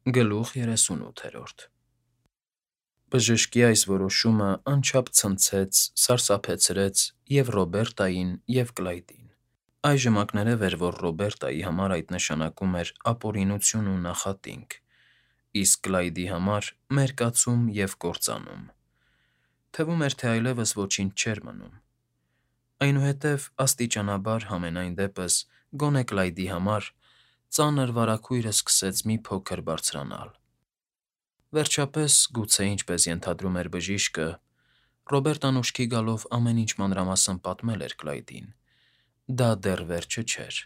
Գլուխ 38 Բժշկի այս որոշումը անչափ ցնցեց, սարսափեցրեց և՛ Ռոբերտային, և՛ Կլայդին. այժմ ակներև էր, որ Ռոբերտայի համար այդ նշանակում էր ապօրինություն ու նախատինք, իսկ Կլայդի համար՝ մերկացում և կործանում. թվում էր, թե այլևս ոչինչ չէր մնում։ Այնուհետև աստիճանաբար, համենայն դեպս, գոնե Կլայդի համար, ծանր վարագույրը սկսեց մի փոքր բարձրանալ։ Վերջապես, գուցե ինչպես ենթադրում էր բժիշկը, Ռոբերտան ուշքի գալով ամեն ինչ մանրամասն պատմել էր Կլայդին, դա դեռ վերջը չէր։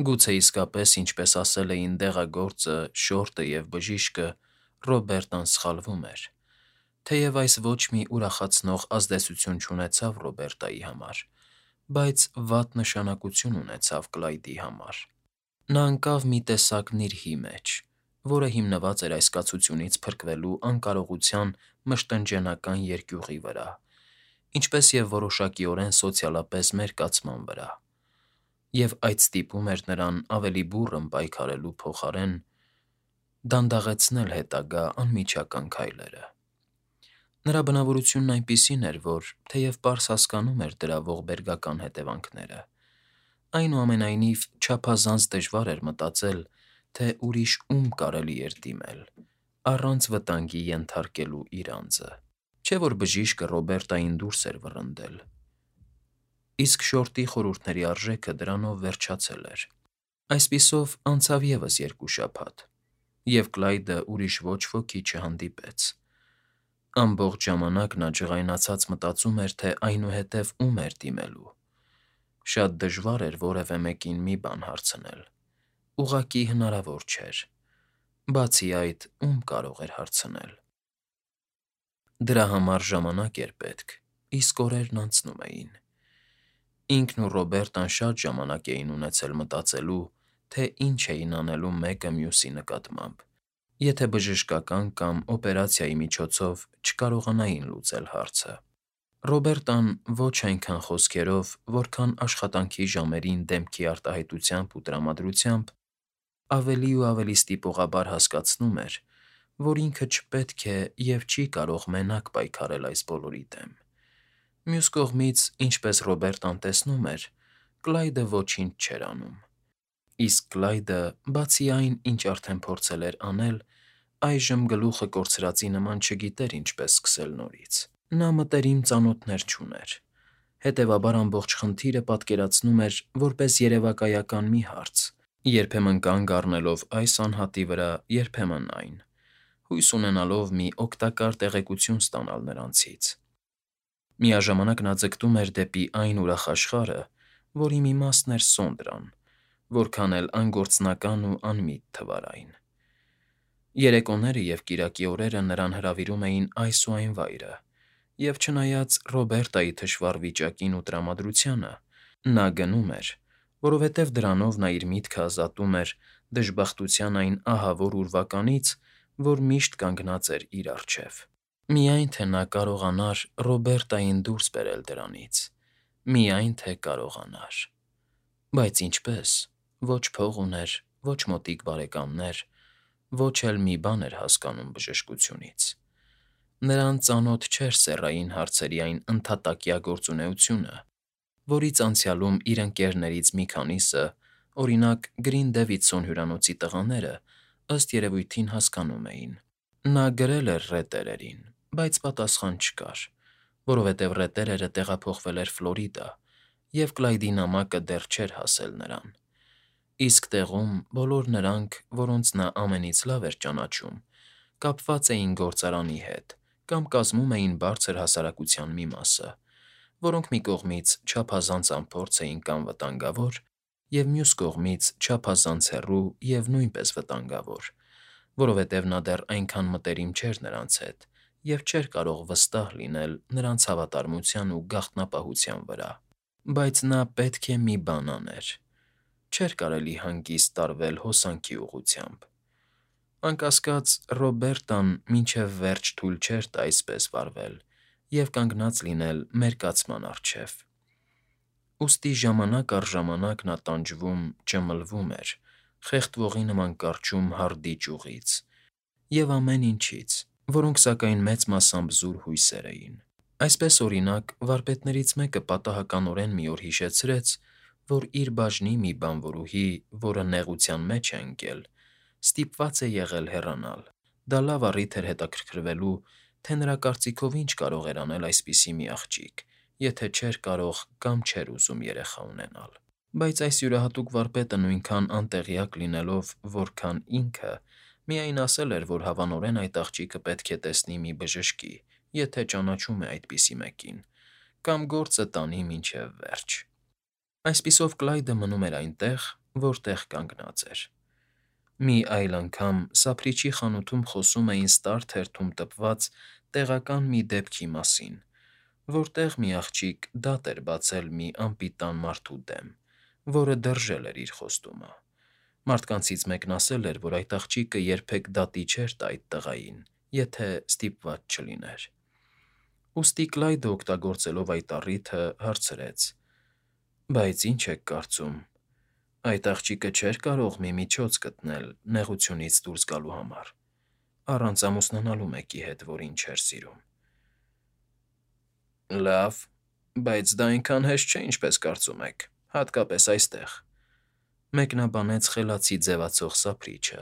Գուցե իսկապես, ինչպես ասել էին դեղագործը, շորտը և բժիշկը, Ռոբերտան սխալվում էր, թեև այս ոչ մի ուրախացնող ազդեցություն չունեցավ Ռոբերտայի համար, բայց վատ նշանակություն ունեցավ Կլայդի համար։ Նա ընկավ մի տեսակ նիրհի մեջ, որը հիմնված էր այս կացությունից փրկվելու անկարողության մշտնջենական երկյուղի վրա, ինչպես և որոշակիորեն սոցիալապես մերկացման վրա, և այդ ստիպում էր նրան ավելի բուռն պայքարելու փոխարեն դանդաղեցնել հետագա անմիջական քայլերը։ Նրա բնավորությունն այնպիսին էր, որ, թեև պարզ հասկանում էր դրա ողբերգական հետևանքները, այնուամենայնիվ չափազանց դժվար էր մտածել, թե ուրիշ ում կարելի էր դիմել, առանց վտանգի ենթարկելու իր անձը։ Չէ՞ որ բժիշկը Ռոբերտային դուրս էր վռնդել, իսկ շորտի խորհուրդների արժեքը դրանով վերջացել էր։ Այսպիսով անցավ ևս 2 շաբաթ, և Կլայդը ուրիշ ոչ ոքի չհանդիպեց։ Ամբողջ ժամանակ նա ջղայնացած մտածում էր, թե այնուհետև ում էր դիմելու։ Շատ դժվար էր որևէ մեկին մի բան հարցնել, ուղղակի հնարավոր չէր։ Բացի այդ, ում կարող էր հարցնել։ Դրա համար ժամանակ էր պետք, իսկ օրերն անցնում էին։ Ինքն ու Ռոբերտան շատ ժամանակ էին ունեցել մտածելու, թե ինչ էին անելու մեկը մյուսի նկատմամբ, եթե բժշկական կամ օպերացիայի միջոցով չկարողանային լուծել հարցը։ Ռոբերտան ոչ այնքան խոսքերով, որքան աշխատանքի ժամերին դեմքի արտահայտությամբ ու տրամադրությամբ ավելի ու ավելի ստիպողաբար հասկացնում էր, որ ինքը չպետք է և չի կարող մենակ պայքարել այս բոլորի դեմ։ Մյուս կողմից, ինչպես Ռոբերտան տեսնում էր, Կլայդը ոչինչ չէր անում։ Իսկ Կլայդը, բացի այն, ինչ արդեն փորձել էր անել, այժմ գլուխը կորցրածի նման չգիտեր ինչպես սկսել նորից։ Նա մտերիմ ծանոթներ չուներ, հետևաբար ամբողջ խնդիրը պատկերացնում էր որպես երևակայական մի հարց, երբեմն կանգ առնելով այս անհատի վրա, երբեմն այն, հույս ունենալով մի օգտակար տեղեկություն ստանալ նրանցից։ Միաժամանակ նա ձգտում էր դեպի այն ուրախ աշխարհը, որի մի մասն էր Սոնդրան, որքան էլ անգործնական ու անմիտ թվար այն։ Երեկոները և կիրակի օրերը նրան հրավիրում էին այս ու այն վայրը, և չնայած Ռոբերտայի թշվառ վիճակին ու տրամադրությանը, նա գնում էր, որովհետև դրանով նա իր միտքը ազատում էր դժբախտության այն ահավոր ուրվականից, որ միշտ կանգնած էր իր առջև։ Միայն թե նա կարողանար Ռոբերտային դուրս բերել դրանից, միայն թե կարողանար։ Բայց ինչպե՞ս։ Ոչ փող ուներ, ոչ մոտիկ բարեկամներ, ոչ էլ մի բան էր հասկանում բժշկությունից։ Նրան ծանոթ չէր սեռային հարցերի այն ընդհատակյա գործունեությունը, որից անցյալում իր ընկերներից մի քանիսը, օրինակ Գրին Դեվիդսոն հյուրանոցի տղաները, ըստ երևույթին հասկանում էին։ Նա գրել էր ռետերերին, բայց պատասխան չկար, որովհետև ռետերերը տեղափոխվել էր Ֆլորիդա, և Կլայդի նամակը դեռ չէր հասել նրան։ Իսկ տեղում բոլոր նրանք, որոնց նա ամենից լավ էր ճանաչում, կապված էին գործարանի հետ կամ կազմում էին բարձր հասարակության մի մասը, որոնք մի կողմից չափազանց անփորձ էին կամ վտանգավոր, և մյուս կողմից չափազանց հեռու և նույնպես վտանգավոր, որովհետև նա դեռ այնքան մտերիմ չէր նրանց հետ և չէր կարող վստահ լինել նրանց հավատարմության ու գաղտնապահության վրա։ Բայց նա պետք է մի բան աներ։ Չէր կարելի հանգիստ տարվել հոսանքի ուղղությամբ։ Անկասկած, Ռոբերտան մինչև վերջ թույլ չէր տա այսպես վարվել և կանգնած լինել մերկացման առջև։ Ուստի ժամանակ առ ժամանակ նա տանջվում, ճմլվում էր, խեղդվողի նման կառչում հարդի ճյուղից և ամեն ինչից, որոնք սակայն մեծ մասամբ զուր հույսեր էին։ Այսպես, օրինակ, վարպետներից մեկը պատահականորեն մի օր հիշեցրեց, որ իր բաժնի մի բանվորուհի, որը նեղության մեջ է ընկել, ստիպված է եղել հեռանալ։ Դա լավ առիթ էր հետաքրքրվելու, թե նրա կարծիքով ինչ կարող էր անել այսպիսի մի աղջիկ, եթե չէր կարող կամ չէր ուզում երեխա ունենալ։ Բայց այս յուրահատուկ վարպետը նույնքան անտեղյակ լինելով, որքան ինքը, միայն ասել էր, որ հավանորեն այդ աղջիկը պետք է տեսնի մի բժշկի, եթե ճանաչում է այդպիսի մեկին, կամ գործը տանի մինչև վերջ։ Այսպիսով Կլայդը մնում էր այնտեղ, որտեղ կանգնած էր։ Մի այլ անգամ սափրիչի խանութում խոսում էին ստար թերթում տպված տեղական մի դեպքի մասին, որտեղ մի աղջիկ դատ էր բացել մի անպիտան մարդու դեմ, որը դրժել էր իր խոստումը։ Մարդկանցից մեկն ասել էր, որ այդ աղջիկը երբեք դատի չէր տա այդ տղային, եթե ստիպված չլիներ։ Ուստի Կլայդը, օգտագործելով այդ առիթը, հարցրեց. «Բայց ինչ եք կարծում, այդ աղջիկը չէր կարող մի միջոց գտնել նեղությունից դուրս գալու համար, առանց ամուսնանալու մեկի հետ, որին չէր սիրում»։ Լավ, բայց դա այնքան հեշտ չէ, ինչպես կարծում եք, հատկապես այստեղ, մեկնաբանեց խելացի ձևացող սափրիչը,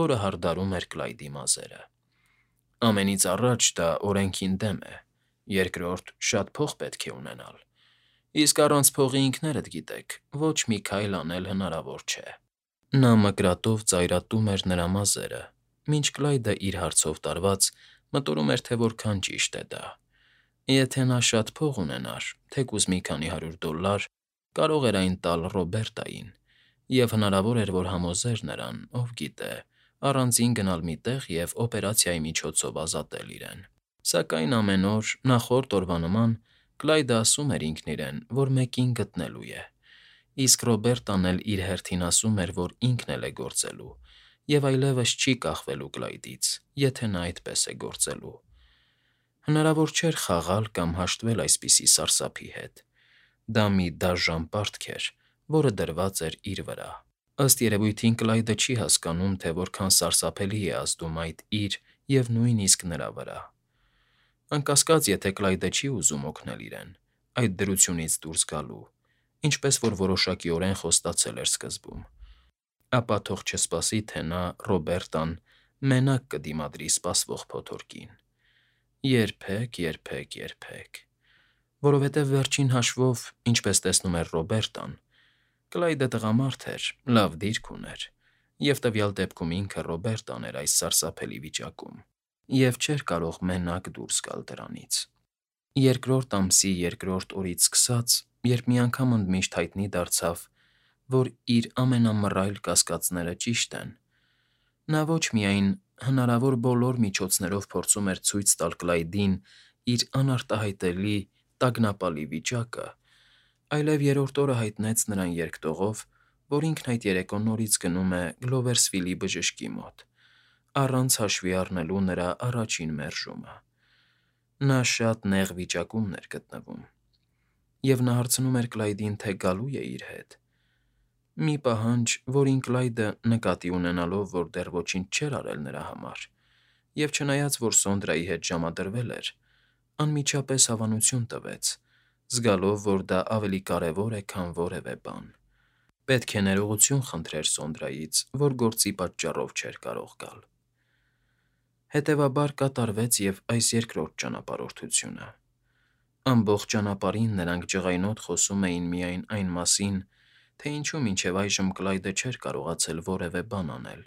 որը հարդարում էր Կլայդի մազերը։ Ամենից առաջ դա օրենքին դեմ է, երկրորդ, շատ փող պետք է ունենալ, իսկ առանց փողի ինքներդ գիտեք, ոչ մի քայլ անել հնարավոր չէ։ Նա մկրատով ծայրատում էր նրա մազերը, մինչ Կլայդը իր հարցով տարված մտորում էր, թե որքան ճիշտ է դա։ Եթե նա շատ փող ունենար, թեկուզ մի քանի $100, կարող էր այն տալ Ռոբերտային, և հնարավոր էր, որ համոզեր նրան, ով գիտե, առանձին գնալ մի տեղ և օպերացիայի միջոցով ազատել իրեն։ Սակայն ամեն օր, նախորդ օրվա նման, Կլայդը ասում էր ինքն իրեն, որ մեկին գտնելու է, իսկ Ռոբերտան էլ իր հերթին ասում էր, որ ինքն էլ է գործելու, և այլևս չի կախվելու Կլայդից, եթե նա այդպես է գործելու։ Հնարավոր չէր խաղալ կամ հաշտվել այսպիսի սարսափի հետ։ Դա մի դաժան պարտք էր, որը դրված էր իր վրա։ Ըստ երևույթին Կլայդը չի հասկանում, թե որքան սարսափելի է ազդում այդ իր և նույնիսկ նրա վրա։ Անկասկած, եթե Կլայդը չի ուզում օգնել իրեն, այդ դրությունից դուրս գալու, ինչպես որ որոշակիորեն խոստացել էր սկզբում, ապա թող չսպասի, թե նա, Ռոբերտան, մենակ կդիմադրի սպասվող փոթորկին։ Երբեք, երբեք, երբեք։ Որովհետև վերջին հաշվով, ինչպես տեսնում էր Ռոբերտան, Կլայդը տղամարդ էր, լավ դիրք ուներ, և տվյալ դեպքում ինքը Ռոբերտան էր այս սարսափելի վիճակում, և չէր կարող մենակ դուրս գալ դրանից։ Երկրորդ ամսի երկրորդ օրից սկսած, երբ մի անգամ ընդմիշտ հայտնի դարձավ, որ իր ամենամռայլ կասկածները ճիշտ են, նա ոչ միայն հնարավոր բոլոր միջոցներով փորձում էր ցույց տալ Կլայդին իր անարտահայտելի, տագնապալի վիճակը, այլև երրորդ օրը հայտնեց նրան երկտողով, որ ինքն այդ երեկո նորից գնում է Գլովերսվիլի բժշկի մոտ, առանց հաշվի առնելու նրա առաջին մերժումը։ Նա շատ նեղ վիճակում էր գտնվում, և նա հարցնում էր Կլայդին, թե գալու է իր հետ։ Մի պահանջ, որին Կլայդը, նկատի ունենալով, որ դեռ ոչինչ չէր արել նրա համար, և չնայած, որ Սոնդրայի հետ ժամադրվել էր, անմիջապես հավանություն տվեց, զգալով, որ դա ավելի կարևոր է, քան որևէ բան։ Պետք է ներողություն խնդրեր Սոնդրայից, որ գործի պատճառով չէր կարող գալ։ Հետևաբար կատարվեց և այս երկրորդ ճանապարհորդությունը։ Ամբողջ ճանապարհին նրանք ջղայնոտ խոսում էին միայն այն մասին, թե ինչու մինչև այժմ Կլայդը չէր կարողացել որևէ բան անել,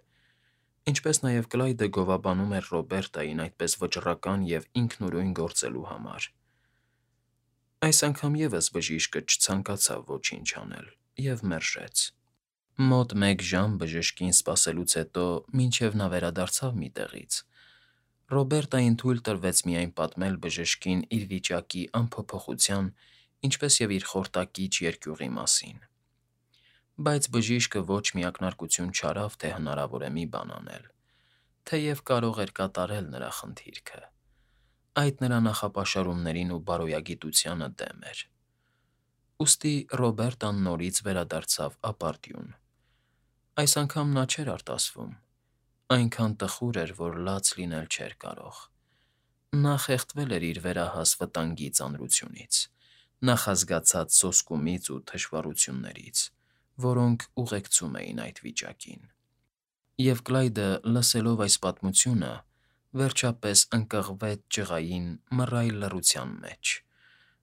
ինչպես նաև Կլայդը գովաբանում էր Ռոբերտային այդպես վճռական և ինքնուրույն գործելու համար։ Այս անգամ ևս բժիշկը չցանկացավ ոչինչ անել և մերժեց։ Մոտ մեկ ժամ բժշկին սպասելուց հետո, մինչև նա վերադարձավ մի տեղից, Ռոբերտային թույլ տրվեց միայն պատմել բժշկին իր վիճակի անփոփոխության, ինչպես և իր խորտակիչ երկյուղի մասին։ Բայց բժիշկը ոչ մի ակնարկություն չարավ, թե հնարավոր է մի բան անել, թեև կարող էր կատարել նրա խնդիրքը։ Այդ նրա նախապաշարումներին ու բարոյագիտությանը դեմ էր։ Ուստի Ռոբերտան նորից վերադարձավ ապարդյուն։ Այս անգամ նա չէր արտասվում, այնքան տխուր էր, որ լաց լինել չէր կարող։ Նա խեղդվել էր իր վերահաս վտանգի ծանրությունից, նախազգացած սոսկումից ու թշվառություններից, որոնք ուղեկցում էին այդ վիճակին։ Եվ Կլայդը, լսելով այս պատմությունը, վերջապես ընկղվեց ջղային, մռայլ լռության մեջ։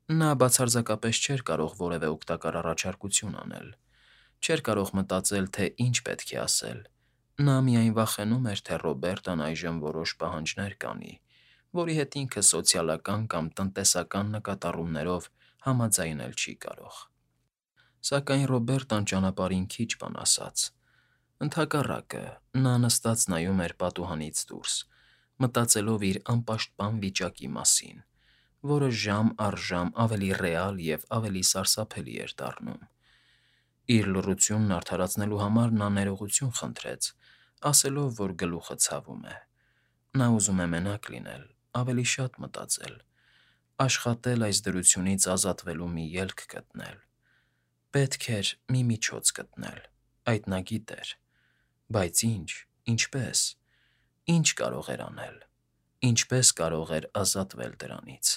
Նա բացարձակապես չէր կարող որևէ օգտակար առաջարկություն անել, չէր կարող մտածել, թե ինչ պետք է ասել։ Նա միայն վախենում էր, թե Ռոբերտն այժմ որոշ պահանջներ կանի, որի հետ ինքը սոցիալական կամ տնտեսական նկատառումներով համաձայնել չի կարող։ Սակայն Ռոբերտն ճանապարհին քիչ բան ասաց։ Ընդհակառակը, նա նստած նայում էր պատուհանից դուրս, մտածելով իր անպաշտպան վիճակի մասին, որը ժամ առ ժամ ավելի ռեալ և ավելի սարսափելի էր դառնում։ Իր լռությունն արդարացնելու համար նա ներողություն խնդրեց, ասելով, որ գլուխը ցավում է։ Նա ուզում է մենակ լինել, ավելի շատ մտածել, աշխատել այս դրությունից ազատվելու մի ելք գտնել։ Պետք էր մի միջոց գտնել, այդ նա գիտեր։ Բայց ինչ, ինչպես, ինչ կարող էր անել, ինչպես կարող էր ազատվել դրանից։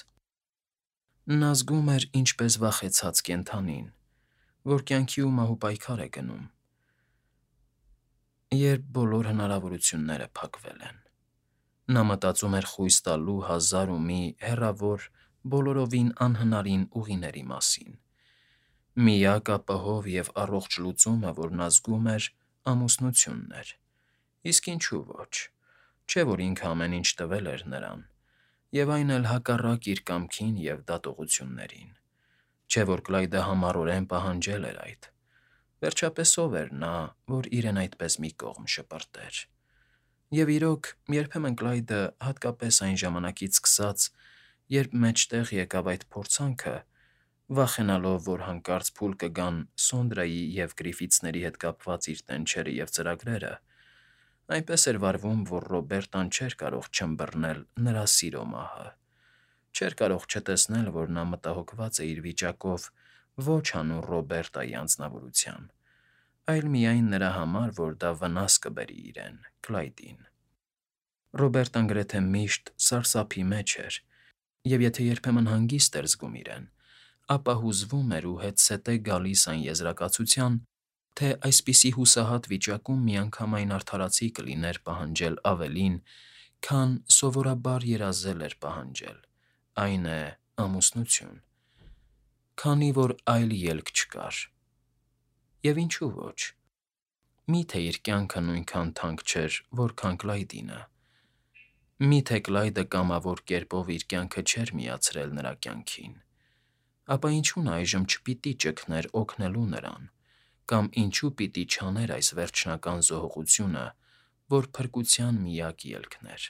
Նա զգում էր ինչպես վախեցած կենդանին, որ կյանքի ու մահու պայքար է գնում, երբ բոլոր հնարավորությունները փակվել են։ Նա մտածում էր խույս տալու հազար ու մի հեռավոր, բոլորովին անհնարին ուղիների մասին։ Միակ ապահով և առողջ լուծումը, որ նա զգում էր, ամուսնությունն էր։ Իսկ ինչու ոչ, չէ՞ որ ինքը ամեն ինչ տվել էր նրան, և այն էլ հակառակ իր կամքին և դատողություններին։ Չէ՞ որ Կլայդը համառորեն պահանջել էր այդ։ Վերջապես ով էր նա, որ իրեն այդպես մի կողմ շպրտեր։ Եվ իրոք, երբեմն Կլայդը, հատկապես այն ժամանակից սկսած, երբ մեջտեղ եկավ այդ փորձանքը, վախենալով, որ հանկարծ փուլ կգան Սոնդրայի և Գրիֆիթսների հետ կապված իր տենչերը և ծրագրերը, այնպես էր վարվում, որ Ռոբերտն չէր կարող չըմբռնել նրա սիրո մահը, չէր կարող չտեսնել, որ նա մտահոգված է իր վիճակով ոչ հանուն Ռոբերտայի անձնավորության, այլ միայն նրա համար, որ դա վնաս կբերի իրեն՝ Կլայդին։ Ռոբերտն գրեթե միշտ սարսափի մեջ էր, և եթե երբեմն հանգիստ էր զգում իրեն, ապա հուզվում էր ու հետզհետե գալիս այն եզրակացության, թե այսպիսի հուսահատ վիճակում միանգամայն արդարացի կլիներ պահանջել ավելին, քան սովորաբար երազել էր պահանջել, այն է՝ ամուսնություն, քանի որ այլ ելք չկար։ Եվ ինչու ոչ։ Մի՞թե իր կյանքը նույնքան թանկ չէր, որքան Կլայդինը։ Մի՞թե Կլայդը կամավոր կերպով իր կյանքը չէր միացրել նրա կյանքին։ Ապա ինչու նա այժմ չպիտի ճգներ օգնելու նրան, կամ ինչու պիտի չաներ այս վերջնական զոհողությունը, որ փրկության միակ ելքն էր։